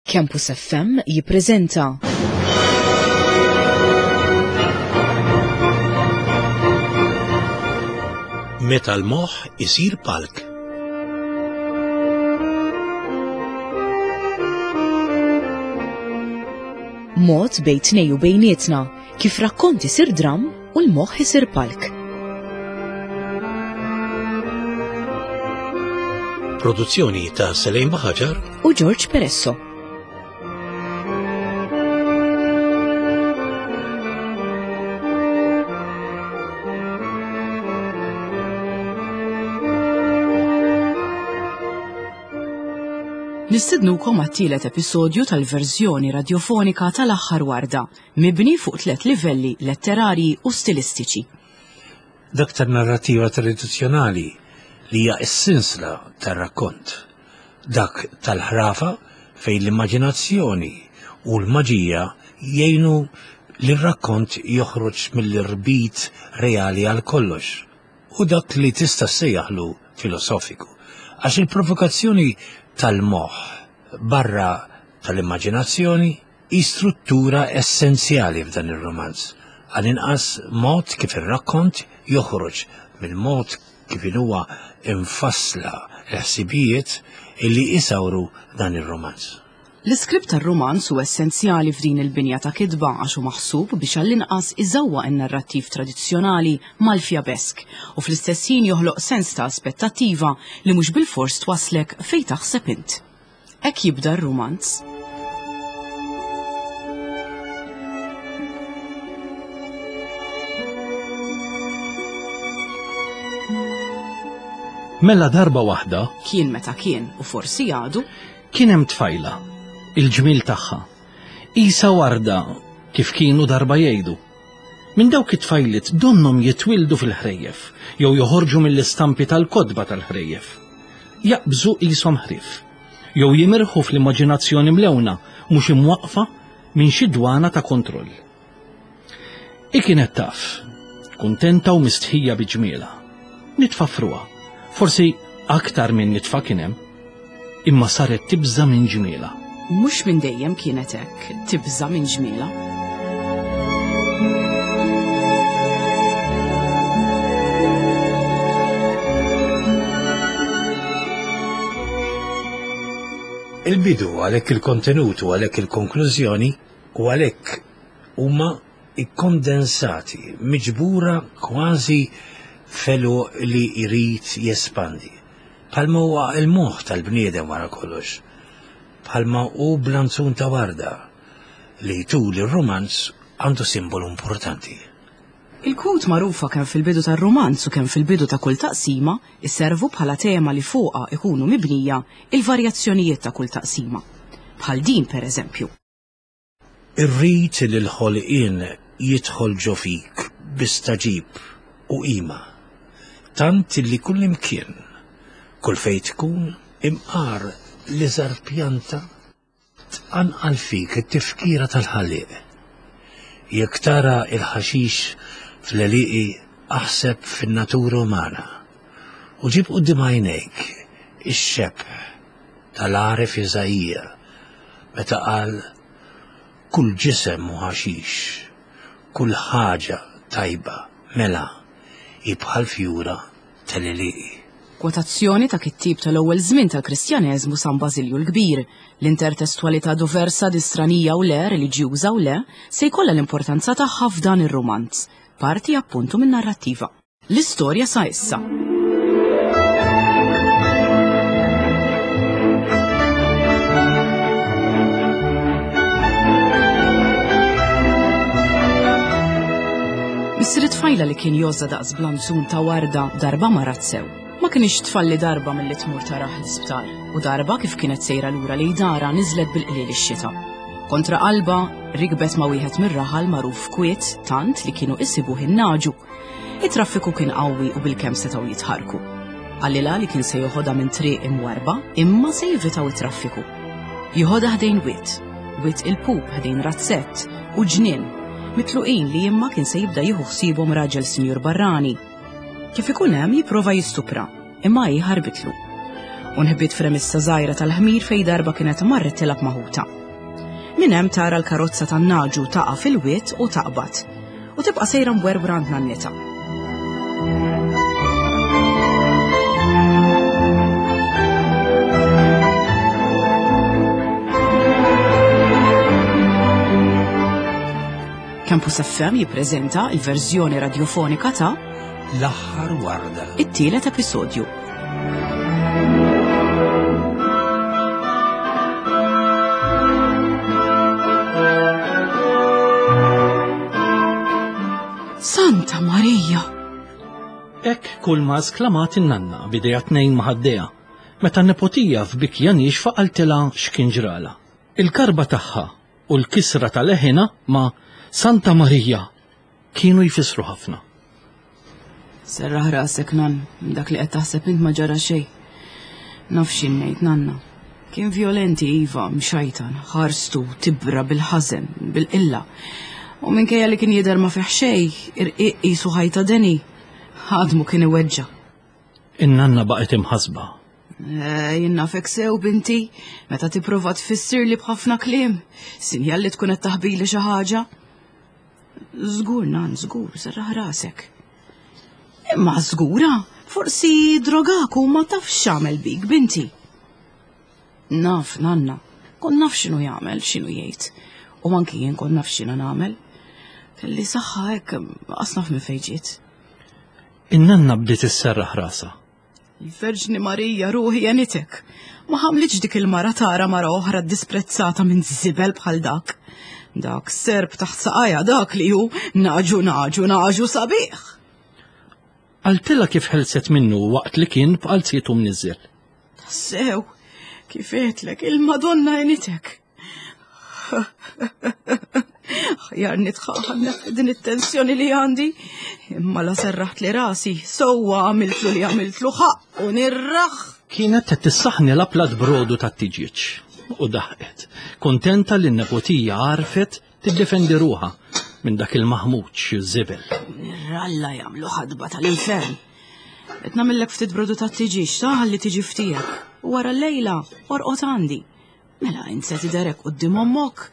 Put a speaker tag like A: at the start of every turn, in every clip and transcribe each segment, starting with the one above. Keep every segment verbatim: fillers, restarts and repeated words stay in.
A: Campus F M jippreżenta
B: Meta l-moħħ isir palk.
A: Mod bejn tnejn u bejnietna kif rakkont isir dram u l-moħħ isir palk.
B: Produzzjoni ta' Selejn Baħaġar
A: u George Peresso. Nistidnukom għat-tielet episodju tal-verżjoni radjofonika tal-Aħħar Warda, mibni fuq tliet livelli letterarji u stilistiċi.
B: Dak tan-narrattiva tradizzjonali li hija s-sinsla tar-rakkont. Dak tal-ħrafa fejn l-immaġinazzjoni u l-maġija jgħinu li r-rakkont joħroġ mill-irbit reali għal kollox. U dak li tista' ssejjaħlu filosofiku. Għax il-provokazzjoni tal-moħħ barra tal-immaġinazzjoni hi struttura essenzjali f'dan ir-romanz. Għal-inqas mod kif ir-rakkont joħroġ mill-mod kif huwa infassla l-ħsibijiet illi isawru dan ir-romanz.
A: L-iskript tar-romanz hu essenzjali f'din il-binja ta' kitba għax hu maħsub biex għall-inqas iżewwaq in-narrattiv tradizzjonali mal-fjabesk u fl-istess ħin joħloq sens ta' aspettattiva li mhux bilfors twaslek fejn taħseb int. Hekk jibda r-romanz.
C: Mela darba waħda
A: Kien meta kien u forsi għadu
C: kien hemm tfajla, il-ġmil tagħha. Isa warda kif kienu darba jgħidu. Minn dawk it-tfajliet donnhom jitwildu fil-ħrejjef jew joħorġu mill-istampi tal-kotba tal-ħrejjef. Jaqbżu qishom ħrief jew jimirħu fl-immaġinazzjoni mlewna mhux imwaqfa minn xi dwana ta' kontroll. I kienet taf, kuntenta u mistħija bi ġmielha. Nitfa frugħa, forsi aktar minn nitfa kien hemm, imma saret tibża minn ġmielha.
A: Mhux minn dejjem kienet hekk, tibża minn ġmielha.
B: Il-bidu għalhekk il-kontenut u għalhekk il-konklużjoni u għalhekk huma ikkondensati, miġbura kważi felu li jrid jespandi. Bħalma huwa il-moħħ tal-bniedem wara kollox. Bħalma hu blanzun ta' warda li tul ir-romanz għandu simbolu importanti.
A: Il-quote magħrufa kemm fil-bidu tar-romanz u kemm fil-bidu ta' kull taqsima isservu bħala tema li fuqha ikunu mibnija il-varjazzjonijiet ta' kull taqsima. Bħal din per eżempju.
B: Irrid li l-ħolqien jidħol ġo fik bi stagħġib u qima. Tant li kull imkien, kull fejn tkun imqar l-iżgħar pjanta tqanqal fik it-tifkira tal-ħallieq. Jekk tara il-ħaxix fl-għelieqi aħseb fin-natura umana u ġib quddiem għajnejk ix-xebh tal-għaref Iżaija meta qal kull ġisem hu ħaxix, kull ħaġa tajba mela hi bħal fjura tal-għelieqi.
A: Kwotazzjoni ta' kittib tal-ewwel żmien tal-Kristjaneżmu San Bażilju l-Kbir. L-intertestwalità diversa distranija u le, reliġjuża u le, se jkollha l-importanza tagħha f'dan ir-romanz, parti appuntu minn narrattiva. L-istorja sa issa. Missier tfajla li kien jgħożżha daqs blanzun ta' warda darba marat sew. Ma kienx tfalli darba milli tmur tarah l-isptar u darba kif kienet sejra lura lejn darha niżlet bil-qliel ix-xita. Kontra qalba rikbet ma' wieħed mir-raħal magħruf kwiet tant li kienu isibuh in-naġu. It-traffiku kien qawwi u bilkemm setgħu jitħarku. Qalilha li kien se joħodha minn triq imwarba imma se jivitaw it-traffiku. Joħodha ħdejn wied, Wied il-Pup ħdejn razzett u ġnien, mitluqin li imma kien se jibda jieħu ħsiebhom raġel sinjur barrani. Kif ikun hemm jipprova jistupra, imma hi ħarbitlu. U nħbiet f'remissa żgħira tal-ħmir fejn darba kienet marret tilgħab ma' ħutha. Minn hemm tara l-karozza tan-naġu taqa' fil-wied u taqbad. U tibqa' sejra mwerwra għand nannitha. Campus F M jippreżenta l-verżjoni radjofonika ta'
B: L-aħħar warda,
A: it-tielet episodju. Santa Marija!
C: Hekk kull ma sklamat in-nanna bidejha tnejn ma' ħaddejha, meta n-nepotija f'bikja nixfa qaltilha x'kien ġrala. Il-karba tagħha u l-kisra tal-leħina ma' Santa Marija kienu jfissru ħafna.
A: Serraħ rasek, nan, dak li qed taħseb int ma ġara xejn. Naf x'in ngħid, nanna. Kien violenti iva, mxajtan, ħarstu, tibra bil-ħażen, bil-qilla. U minkejja li kien jidher ma fih xejn, irqiq qisu ħajta deni, ħadmu kien iweġġa'.
C: In-nanna baqgħet imħasba.
A: Eh, jien nafek sew, binti, meta tipprova tfissirli b'ħafna kliem, sinjal li tkun qed taħbili xi ħaġa. Żgur, nan, żgur, serraħ rasek. Imma żgura, forsi drogak u ma tafx x'għamel bik, binti. Naf, nanna, kont naf x'inhu jagħmel, x'inhu jgħid. U anki jien kont naf x'inhu nagħmel. Kelli saħħa hekk, qas naf minn fejn ġiet.
C: In-nanna bdiet isserraħ rasha.
A: Il-Verġni Marija, ruħi għenitek. Ma ħamlitx dik il-mara tara mara oħra disprezzata minn żibel bħal dak. Dak serb taħt saqajja, dak li hu naġu, naġu, naġu sabiħ.
C: Qaltilha kif ħelset minnu waqt li kien b'qalzietu mniżżel.
A: Tassew, kif għedtlek, il-Madonna għenitek. Ħjar nitħaħan din it-tensjoni li għandi, imma la serraħt li rasi, sewwa għamiltlu li għamiltlu ħaq u nirraħ.
C: Kienet qed tissaħni l-aplat brodu tat-tiġieġ u daħqet, kontenta li n-nepotija għarfet tiddefendi ruħha minn dak il-maħmuġ żibel.
A: Nirralla jagħmlu ħadba tal-infern. Qed nagħmellek ftit brodu tat-tiġieġ, ta' ħalli tiġi ftijek. U wara l-lejla orqod għandi. Mela int se tidherek quddiem ommok.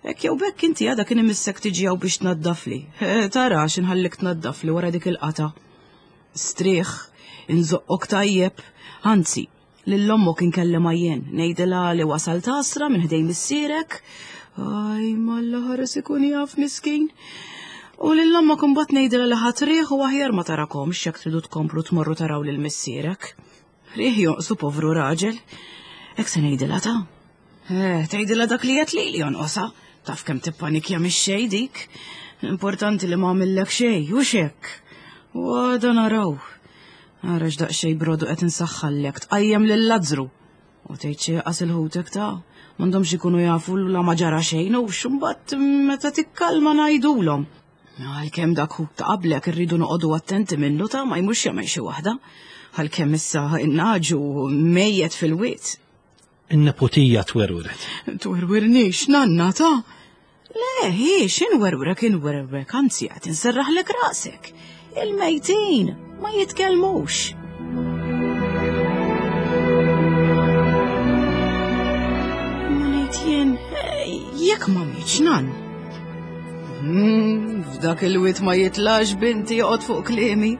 A: Hekk jew bekk inti għadha kien imissek tiġi hawn biex tnaddafli. Eh, tara x'inħallik tnaddafli wara dik il-qata. Strieħ, inżoqqok tajjeb, anzi, lil ommok inkellem jien, ngħidilha li wasal tasra minn ħdejn missierek. Aj, malla ħares ikun jaf miskin. U lil ommok imbagħad ngħidilha li ħadd riħ u aħjar ma tarakomx jekk tridu tkomplu tmorru taraw lil missierek. Riħ jonqsu povru raġel. Hekk se ngħidilha ta'. Eh, tgħidilha dak li qed lili jonqosha. Taf kemm tippanikja mix-xejn dik. Importanti li ma għamillek xejn, u x'hekk. U għada naraw. Ara x'daqsxejn brodu qed insaħħallek, tqajjem lil Lazzru. U tgħid xi qas il-ħutek ta' m'għandhomx ikunu jafu la ma ġara xejn u x'imbagħad meta tikkalma ngħidulhom. Għalkemm dak ħut ta' qablek irridu noqogħdu attenti minnu ta' ma jmurx jagħmel xi waħda. Għalkemm issa innaġu mejjet fil-wied.
C: In-nepotija twerwret.
A: Twerwirnix, nanna ta'. Le, hi, x'inwerwrek, inwerwrek, anzi qed inserraħlek rasek. Il-mejtin ma jitkellmux. Ma ngħid jien, jekk ma mietx nan. Hmm, f'dak il-wied ma jitlax binti joqgħod fuq kliemi.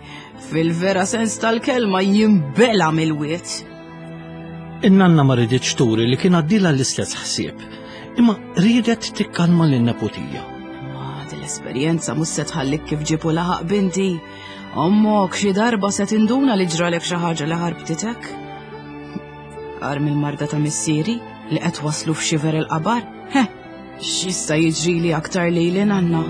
A: Fil-vera sens tal-kelma jimbela mill-wied.
C: In-nanna ma riditx turi li kien għaddilha l-istess ħsieb, imma riedet tikkalma lin-nepotija.
A: Ma din l-esperjenza mhux se tħallik kif ġipu laħaq binti. Ommok xi darba se tinduna li ġralek xi ħaġa li ħarbtitek. Arm il-marda ta' missieri li qed waslu f'xiver il-qabar. Heh, x'jista' jiġrili aktar lili nanna.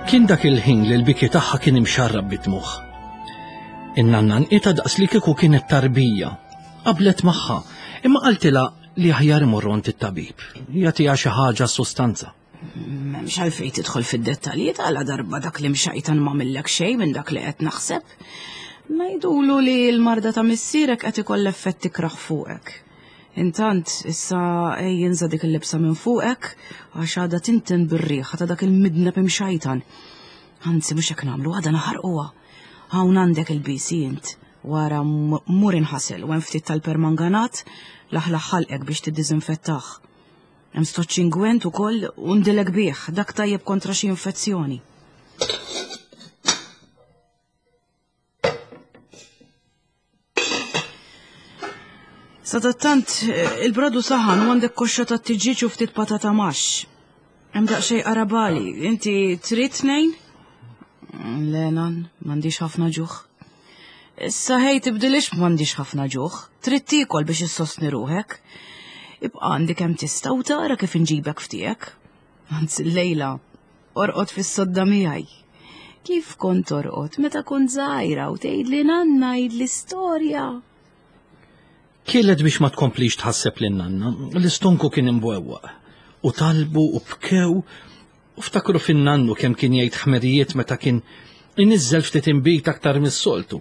C: Kien dak il-ħin li l-biki tagħha kien imxarrab bid-dmugħ. In-nanna nqita daqs li kieku kienet tarbija. Qablet magħha, imma qaltilha li aħjar imorru għand it-tabib, jagħtiha xi ħaġa sustanza.
A: M'hemmx għalfejn tidħol fid-dettalji tagħla darba dak li mxajtan ma millek xejn minn dak li qed naħseb. Ngħidulu li l-marda ta' missierek qed ikoll effetti kraħ fuqek. Intant, issa ej inża' dik il-libsa minn fuqek għax għadha tinten bir-riħa ta' dak il-midneb imxajtan. Anzi, mhux hekk nagħmlu, għadha naħarquha. Hawn għandek il-bisi int. Wara mur inħasel u hemm ftit tal-permanganat laħlaħ ħalqek biex tiddiżinfettah. Hemm stoċċ ingwent ukoll u ndilek bih, dak tajjeb kontra xi infezzjoni. Sadattant, il-bradu saħan u għandek koxxa ta' tiġiġ u ftit patata maxx. Hemm daqsxejn qarabali, inti trid tnejn? Le, nan, m'għandix ħafna ġuħ. Issa ħej tibdilix m'għandix ħafna ġuħ, trid tiekol biex issostni ruħek. Ibqa' għandi kemm tista' u tara kif inġibek ftiegħek. Anzi llejla, orqod fis-sodda miegħi. Kif kont torqod meta kont żgħira u tgħidli nanna għidli storja.
C: Kielet biex ma tkomplix tħasseb lin nanna, l-istonku kien imbwewwaq. U talbu u bkew u ftakru fin-nannu kemm kien jgħid ħmerijiet meta kien iniżżel ftit inbid aktar mis-soltu.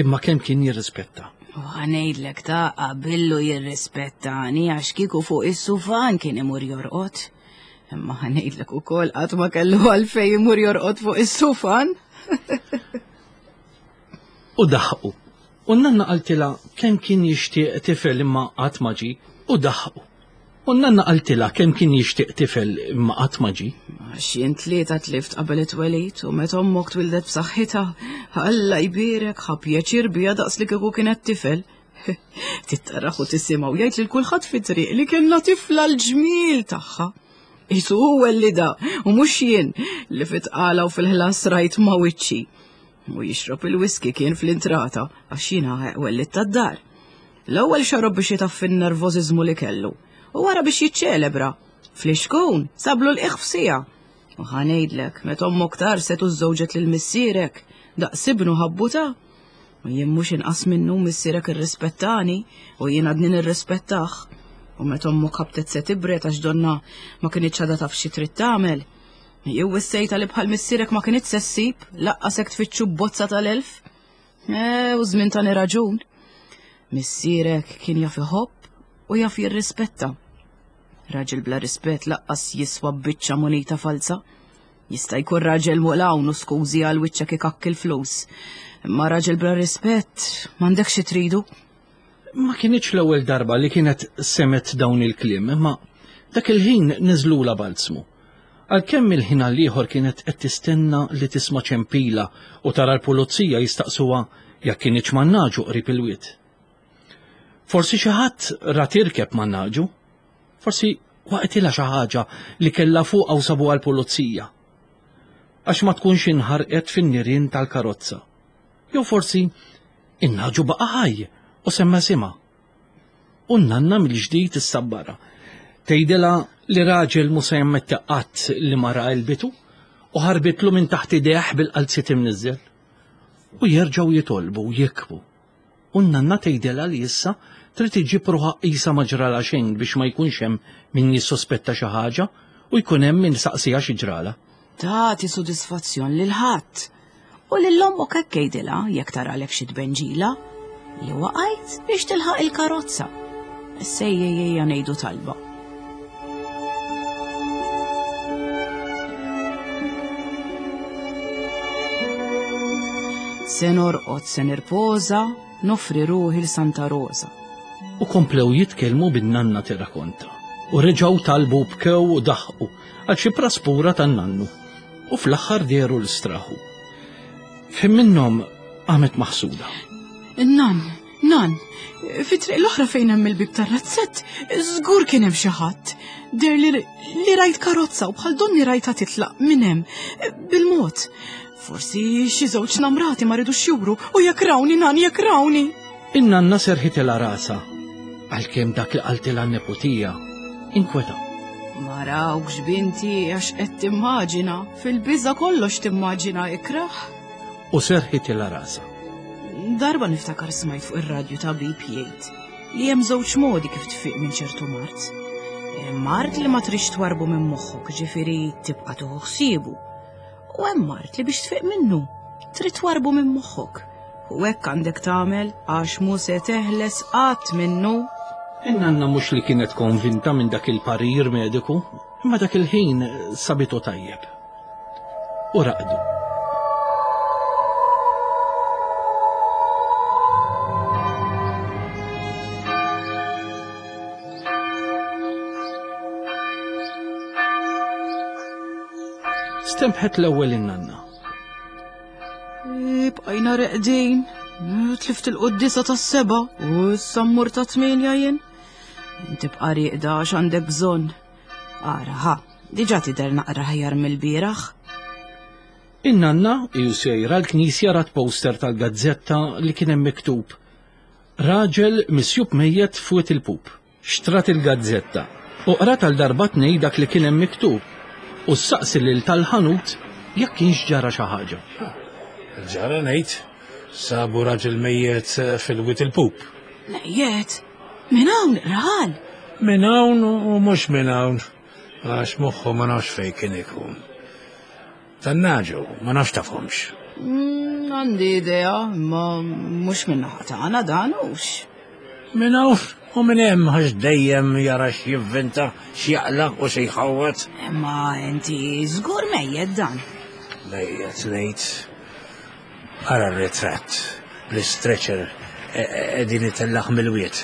C: Imma kemm kien jirrispetta.
A: U ħanejdlek ta' qabillu jirrispettani għax kieku fuq is-sufan kien imur jorqod. Imma ħanejdlek ukoll qatt ma kellu għalfejn imur jorqod fuq is-sufan.
C: U daħqu. U n-nanna qaltilha kemm kien jixtieq tifel imma qatt ma ġie, u daħqu. U n-nanna qaltilha kemm kien jixtieq tifel imma qatt ma ġie.
A: Għax jien tlieta tlift qabel it-twelid u meta ommok twildet b'saħħitha, Alla jbierek ħa pjaċir biha daqs li kieku kienet tifel. Tittaraħ u tisimgħu jgħid lil kulħadd fit-triq li kellna tifla l-ġmiel tagħha. Isu huwa li da u mhux jien li fit-tqala u fil-ħlas rajt ma' wiċċi. U jixrob il-whisky kien fl-intrata għax jiena wellit tad-dar. L-ewwel xarob biex jitaffi n-nervożiżmu li kellu u wara biex jiċċelebra. Fl-ixkun sablu l-qiegħ f'sija. U ħanejdlek meta ommok tarset u żżewġet lil missierek daqs ibnu ħabbuta. U jien mhux inqas minnu missierek irrispettani u jien għadni nirrispettah. U meta ommok ħabtet se tibret għax donna ma kinitx għadha taf xi trid tagħmel. Jew wissejta li bħal missierek ma kinitx se ssib, laqqas hekk tfittxu bozza tal-elf. E, u żmien tani raġun. Missierek kien jaf iħobb u jaf jirrispetta. Raġel bla rispett laqqas jiswa biċċa munita falsa. Jista' jkun raġel muqlawn u skużi għal wiċċek ikakk il-flus. Imma raġel bla rispett m'għandekx xi tridu.
C: Ma kinitx l-ewwel darba li kienet semet dawn il-kliem, imma dak il-ħin niżlula balzmu. Għalkemm il-ħin għall-ieħor kienet qed tistenna li tisma' ċempila u tara l-pulizija jistaqsuha jekk kinitx man-naġu qrib il-wied. Forsi xi ħadd ra tirkeb man-naġu, forsi waqtilha xi ħaġa li kellha fuqha u sabuha l-pulizija. Għax ma tkunx inħarqet fin-nirien tal-karozza. Jew forsi in-naġu baqa' ħaj u semma sima. U n-nanna mill-ġdid issabbara. Tgħidilha li raġel mhu se jammetti qatt li mara qalbitu u ħarbitlu minn taħt idejh bil-qalziet imniżżel. U jerġgħu jitolbu u jikbu. U n-nanna tgħidilha li issa trid iġġib ruħha qisha ma ġralha xejn biex ma jkunx hemm min jissospetta xi ħaġa u jkun hemm min saqsiha xi ġralha.
A: Tagħti sodisfazzjon lil ħadd. U lil ommok hekk tgħidilha jekk taralek xi tbenġila li waqajt biex tilħaq il-karozza. Issa ejja ngħidu talba. Se norqod, se nirpoża, nofri ruħi l Santa Rosa.
C: U komplew jitkellmu bin-nanna tirrakonta. U reġgħu talbu bkew u daħqu għal xi praspura tan-nannu. U fl-aħħar dehru l-istraħu. Fim minnhom qamet maħsuda.
A: Nan, nan, fit-triq l-oħra fejn hemm il-bib tar-razzett, żgur kien hemm xi ħadd. Der li, li rajt karozza u bħal donni rajta titlaq minn hemm bil-mod. Forsi xi żewġ namrati ma ridux juru u jekk rawni nan jekk rawni.
C: In-nanna serħitilha rasha għalkemm dak li qaltilha n-neputija inkweta.
A: Ma rawkx binti għax qed timmaġina, fil-biża kollox timmaġina ikrah.
C: U serħitilha rasha.
A: Darba niftakar smajt fuq ir-radju tabib jgħid li hemm żewġ modi kif tfiq minn ċertu mard. Mard li ma trix twarbu minn moħħok, ġifieri tibqa' tieħu ħsiebu. U hemm mard li biex tfiq minnu trid twarbu minn moħħok. U hekk għandek tagħmel għax mhu se teħles qatt minnu.
C: In-nanna mhux li kienet konvinta minn dak il-parir mediku, imma dak il-ħin sabitu tajjeb. U raqdu. Stempħet l-ewwel in-nanna.
A: Bqajna reqdin, tlift il-quddisa tas-seba' u issa mmur ta' tmienja jien. Inti bqa' rieqda għax għandek bżonn. Ara, ħa, diġà tidher naqra ħjar mill-bieraħ.
C: In-nanna ju sejra l-knisja rat poster tal-gazzetta li kien hemm miktub Raġel misjub mejjet fuq il-pup. Xtrat il-gazzetta u qrat għal darba tnej dak li kien hemm miktub u ssaqsi lil tal-ħanut jekk kienx ġara xi ħaġa.
B: Ġara ngħid, sabu raġel mejjet fil-Wied il-Pup.
A: Mejjet? Minn hawn raħal?
B: Minn hawn u mhux minn hawn, għax moħħu ma nafx fejn kien ikun. Tan-naġu, ma nafx tafhomx.
A: Mm, Għandi idea, ma mhux minn naħa tagħna dan hux.
B: Minn hawn u minn hemm għax dejjem jara x'jivvinta, x'jaqla u xi jħawwad.
A: Imma inti żgur mejjet dan.
B: Mejjet ngħid. Ara r-ritratt bl-istretcher qegħdin itellaħ mill-wied.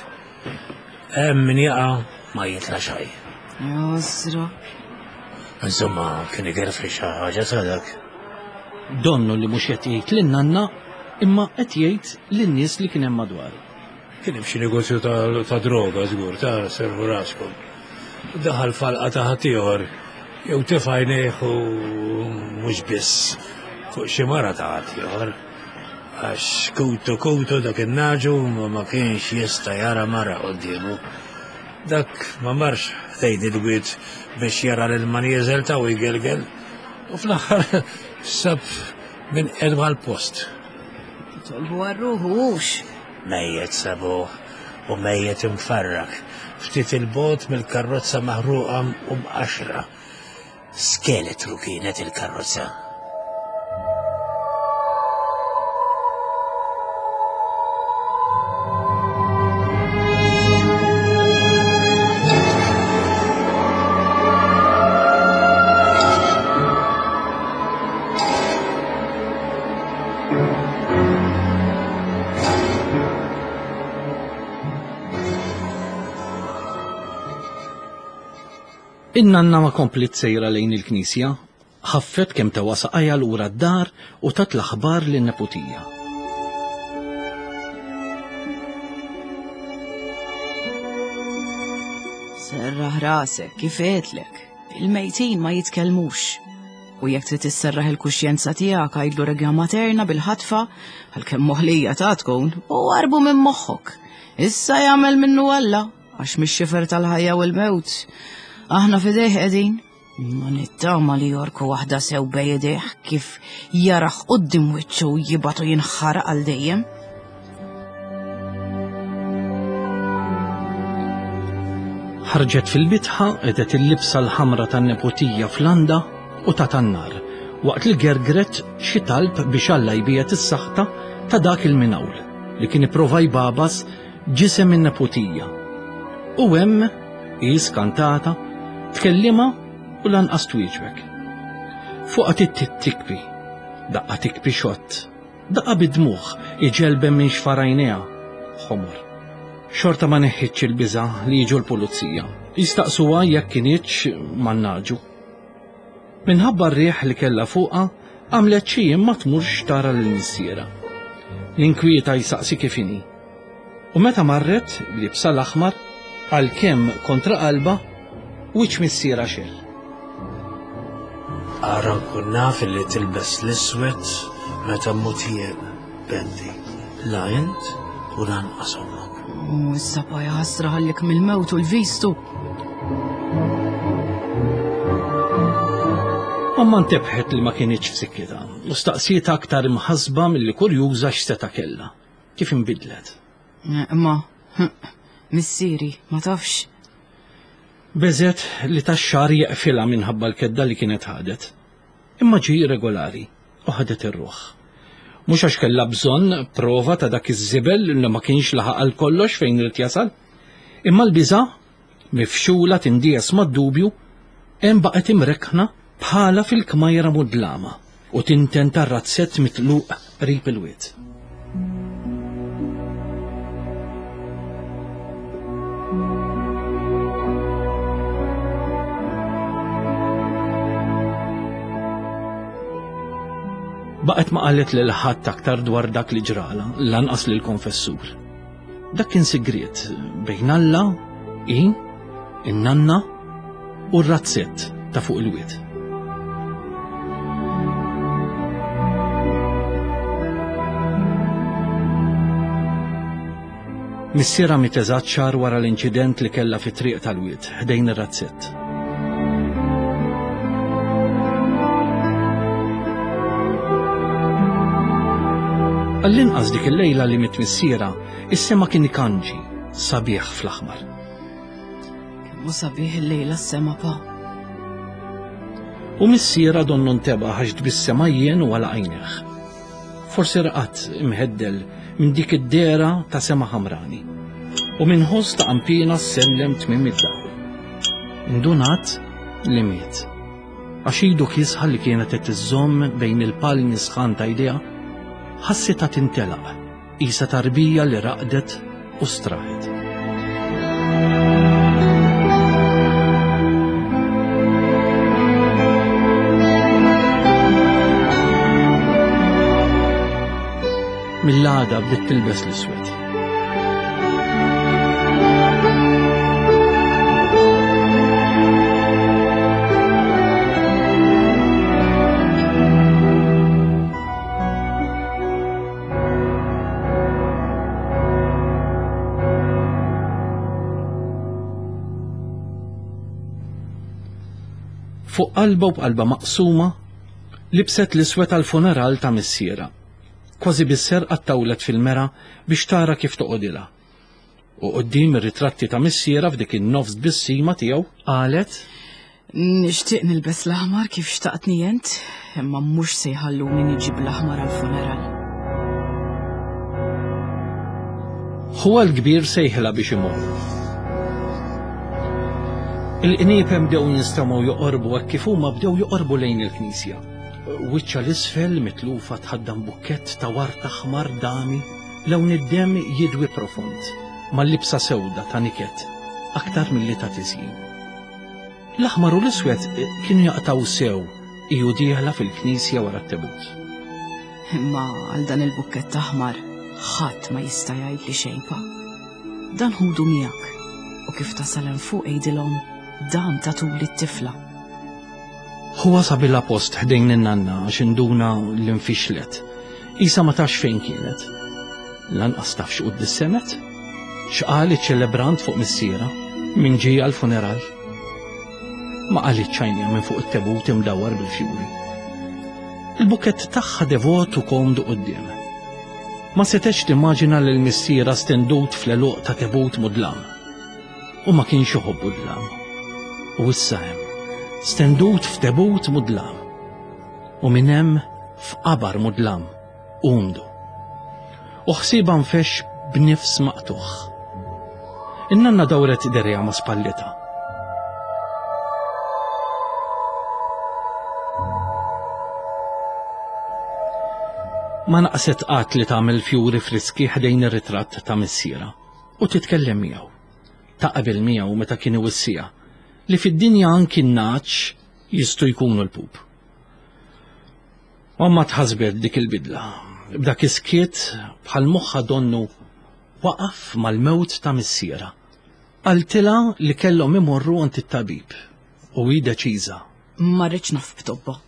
B: Hemm min jaqa' ma jitla' xejn.
A: Jasra.
B: Insomma, kien igerfi xi ħaġa ta' dak.
C: Donnu li mhux qed jgħid lin-nanna imma qed jgħid lin-nies li kien hemm madwaru.
B: Kien hemm xi negozju ta' ta' droga żgur, ta' servu raskom. Daħal falqa ta' ħaddieħor jew tefa' għajnejh u mhux biss fuq xi mara ta' ħaddieħor. Għax kutu kutu dak in-naġu ma ma kienx jista' jara mara quddiemu. Dak ma marx ħdejn il-wied biex jara lil manieżel ta' u jgelgel. U fl-aħħar sab minn qedwa l-post.
A: Tolbu għar-ruħu hux.
B: Mejjet sabuh u mejjet imfarrak, ftit il-bot mill-karrozza maħruqa u mqaxra. Skeletru kienet il-karrozza.
C: In-nanna ma komplet sejra lejn il-knisja, ħaffet kemm tewa saqajja lura d-dar u tat l-aħbar lin-neputija.
A: Serraħ rasek, kif għedtlek. Il-mejtin ma jitkellmux. U jekk trid tisserraħ il-kuxjenza tiegħek għidlu regna materna bil-ħatfa, għalkemm moħlija ta' tkun, u warbu minn moħħok. Issa jagħmel minnu Alla, għax mix-xifer tal-ħajja u l-mewt. Aħna f'idejh qegħdin. Ma nittama li jorku waħda sew bejn kif jaraħ quddiem wiċċu u jibgħatu jinħaraq għal dejjem.
C: Ħarġet fil-bitħa qedet il-libsa l-ħamra tan-neputija fl-għanda u ta' tan-nar, waqt li gergret xi talb biex Alla jbiegħed is-saħta ta' dak il-minawl li kien ipprova jbabas ġisem in-neputija. U hemm hi skantata tkellimha u lanqas twieġbek. Fuqha tittit tikbi, daqqa tikbi xott, daqqa bidmuħ iġelbem minn xfarajnejha ħomor. Xorta ma neħħitx il-biża' li jiġu l-pulizija. Jistaqsuha jekk kinitx man-naġu. Minħabba r-riħ li kellha fuqha, għamlet xi jiem ma tmurx tara lil missiera. L-inkwieta jsaqsi kif inhi. U meta marret libsa l-aħmar, għalkemm kontra qalba, wiċċ missiera xejn.
B: Ara nkun naf li tilbes l-iswed meta mmut jien, Bendi. La int u lanqas ommok.
A: U issa pa ħasra ħallik mill-mewt u l-vistu.
C: Omma ntebħet li ma kinitx f'sikkitha u staqsiet aktar imħasba milli kurjuża x'seta' kellha. Kif inbidlet?
A: Imma, missieri, ma tafx.
C: Beżet li tax-xahar jeqfilha minħabba l-kedda li kienet ħadet. Imma ġie regolari u ħadet ir-ruħ. Mhux għax kellha bżonn prova ta' dak iż-żibel li ma kienx laħaq għal kollox fejn irid jasal, Imma l-biża', mifxula tindies mad-dubju, hemm baqgħet imrekkna bħala fil-kmajra mudlama u tinten tar-razzett mitluq qrib il-wied. Baqgħet ma qalet lil ħadd aktar dwar dak li ġrala, lanqas lil konfessur. Dak kien sigriet bejn Alla, i, in-nanna u r-razzett ta' fuq il-wied. Missierha miet eżatt xahar wara l-inċident li kellha fit-triq tal-wied ħdejn ir-razzett. Għall-inqas dik il-lejla li miet missierha, is-sema kien ikanġi, sabiħ fl-aħmar.
A: Kemm hu sabiħ il-lejla s-sema, pa.
C: U missierha donnu ntebaħ għax tbissem għajjen u għalaq għajnejh. Forsi raqad imħeddel minn dik id-dehra ta' sema ħamrani. U minn ħoss ta' qanpiena sellem tmiem id-dawl. Indunat li miet. Għax idu kiesħa li kienet qed iżżomm bejn il-palmi sħan ta' jdejha, ħassitha tintelaq, qisha tarbija li raqdet u straħet. Mill-għada bdiet tilbes l-iswed. Fuq qalba u b'qalba maqsuma, libset l-iswed għall-funeral ta' missierha. Kważi bis-serqa ttawlet fil-mera biex tara kif toqgħodilha. U quddiem ir-ritratti ta' missierha f'dik in-nofs tbissima tiegħu qalet:
A: Nixtieq nilbes l-aħmar kif xtaqtni int, imma mhux se jħalluni niġi bl-aħmar għall-funeral.
C: Ħuha l-kbir sejħilha biex imur. Il-qniepem bdew jinstemgħu joqorbu hekk kif huma bdew joqorbu lejn il-knisja. Wiċċha l-isfel mitlufa tħaddam bukkett ta' wart aħmar dami, lewn id-demm jidwi profond, mal-libsa sewda ta' niket, aktar milli ta' tiżjin. L-aħmar u l-iswed kienu jaqtaw sew iju dieħla fil-knisja wara t-tebut.
A: Imma għal dan il-bukkett aħmar ħadd ma jista' jgħidli xejn, pa. Dan ħudu miegħek u kif tasal hemm fuq għidilhom dan tatuli t-tifla.
C: Huwa sabilha post ħdejn in-nanna għax induna li nfixlet. Isa ma tafx fejn kienet. Lanqas taf x'quddis semet. X'qal iċ-ċelebrant fuq missierha minn ġie għall-funeral. Ma qalitx għajnejha minn fuq it-tebut imdawwar bil-fjuri. Il-bukkett tagħha devot u komdu quddiem. Ma setgħetx timmaġina lil missierha stendut fl-għeluq ta' tebut mudlam. U ma kienx iħobbu dlam. U issa hemm, stendut f'tebut mudlam. U minn hemm f'qabar mudlam, umdu. U ħsiebha nfex b'nifs maqtugħ. In-nanna dawret derejha ma' spallitha. Ma naqset qatt li tagħmel fjuri friski ħdejn ir-ritratt ta' missierha u titkellem miegħu. Taqbel miegħu meta kien iwissiha li fid-dinja anki n-naċ jistgħu jkunu l-pup. Omma tħasbet dik il-bidla, b'dak is-skiet bħal moħħa donnu waqaf mal-mewt ta' missierha. Qaltilha li kellhom imorru għand it-tabib u hi deċiża.
A: Ma rridx naf b'tobba.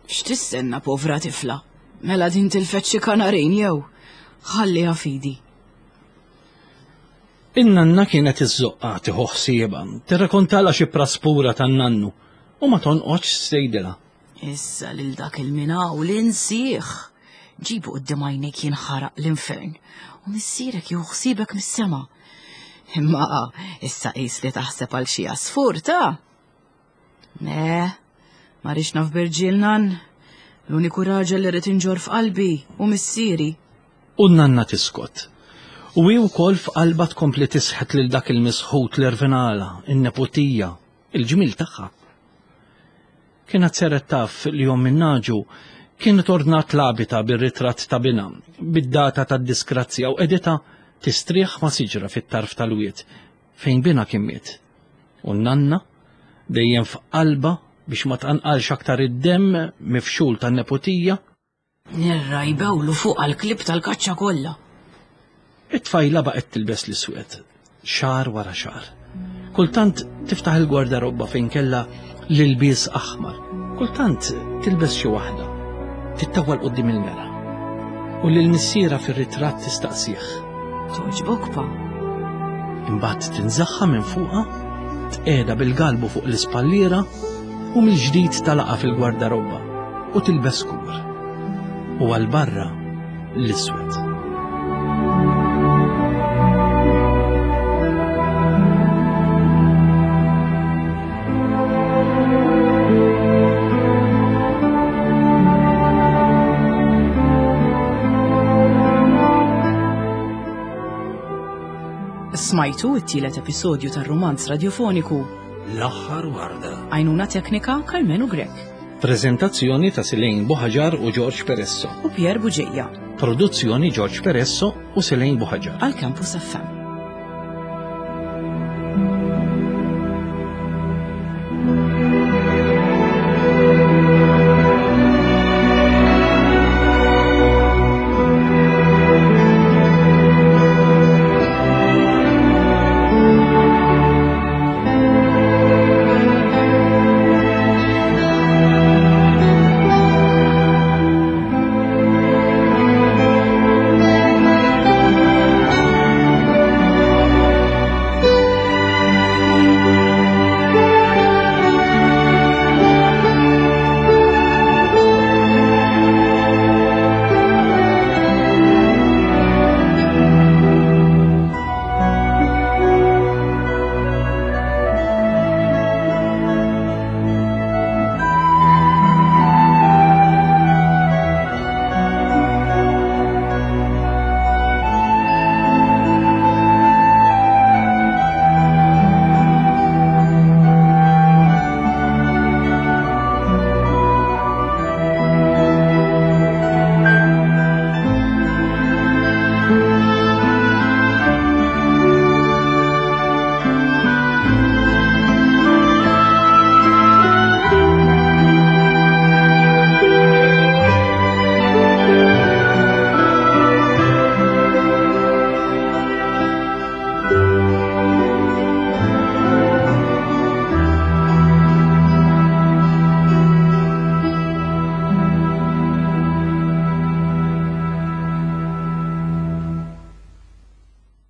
A: X'tistenna povra tifla? Mela din tilfet xi kanarin jew? Ħalliha fidi.
C: In-nanna kienet iż-żoqqa tieħu ħsiebha, tirrakontalha xi praspura tan-nannu u ma tonqodx tgħidilha.
A: Issa lil dak il-minaw li nsieħ. Ġibu quddiem għajnejk jinħaraq l-infern u missierek jieħu ħsiebek mis-sema. Imma issa qis li taħseb għal xi għasfur ta'. Ne, ma rridx naf b'irġiel nan. L-uniku raġel li rrid inġorr f'qalbi u missieri.
C: U n-nanna tiskot. U hi wkoll f'qalbha tkompli tisħet lil dak il-misħut l-irvinala, in-neputija, il-ġmil tagħha. Kienet seret taf li jom minnaġu kienet ordnat labita bir-ritratt ta' binha, bid-data tad-disgrazzja u edita tistrieħ ma' siġra fit-tarf tal-wied fejn binha kien miet. U n-nanna dejjem f'qalba biex ma tqanqalx aktar id-demm mifxul tan-neputija.
A: Nirra jbewlu fuq għal-klib tal-kaċċa kollha.
C: It-tfajla baqgħet tilbes l-iswed, xahar wara xahar. Kultant tiftaħ il-gwardarobba fejn kellha l-ilbies aħmar. Kultant tilbes xi waħda. Tittawwal quddiem il-mera. U lil missiera fir-ritratt tistaqsih.
A: Toġbok pa.
C: Imbagħad tinżaħħa minn fuqha, tqiegħda bil-galbu fuq l-ispalliera u mill-ġdid talaqa fil-gwardarobba u tilbes kur. U għal barra l-iswed.
A: Smajtu it-tielet episodju tar-rumanz radiofoniku
B: L-aħħar warda.
A: Għajnuna teknika Karmenu Grek
C: Prezentazzjoni ta' Silejn Buħaġar u George Peresso.
A: u Pier Buġeja
C: Produzzjoni George Peresso u Silejn Buħaġar.
A: għal Campus F M.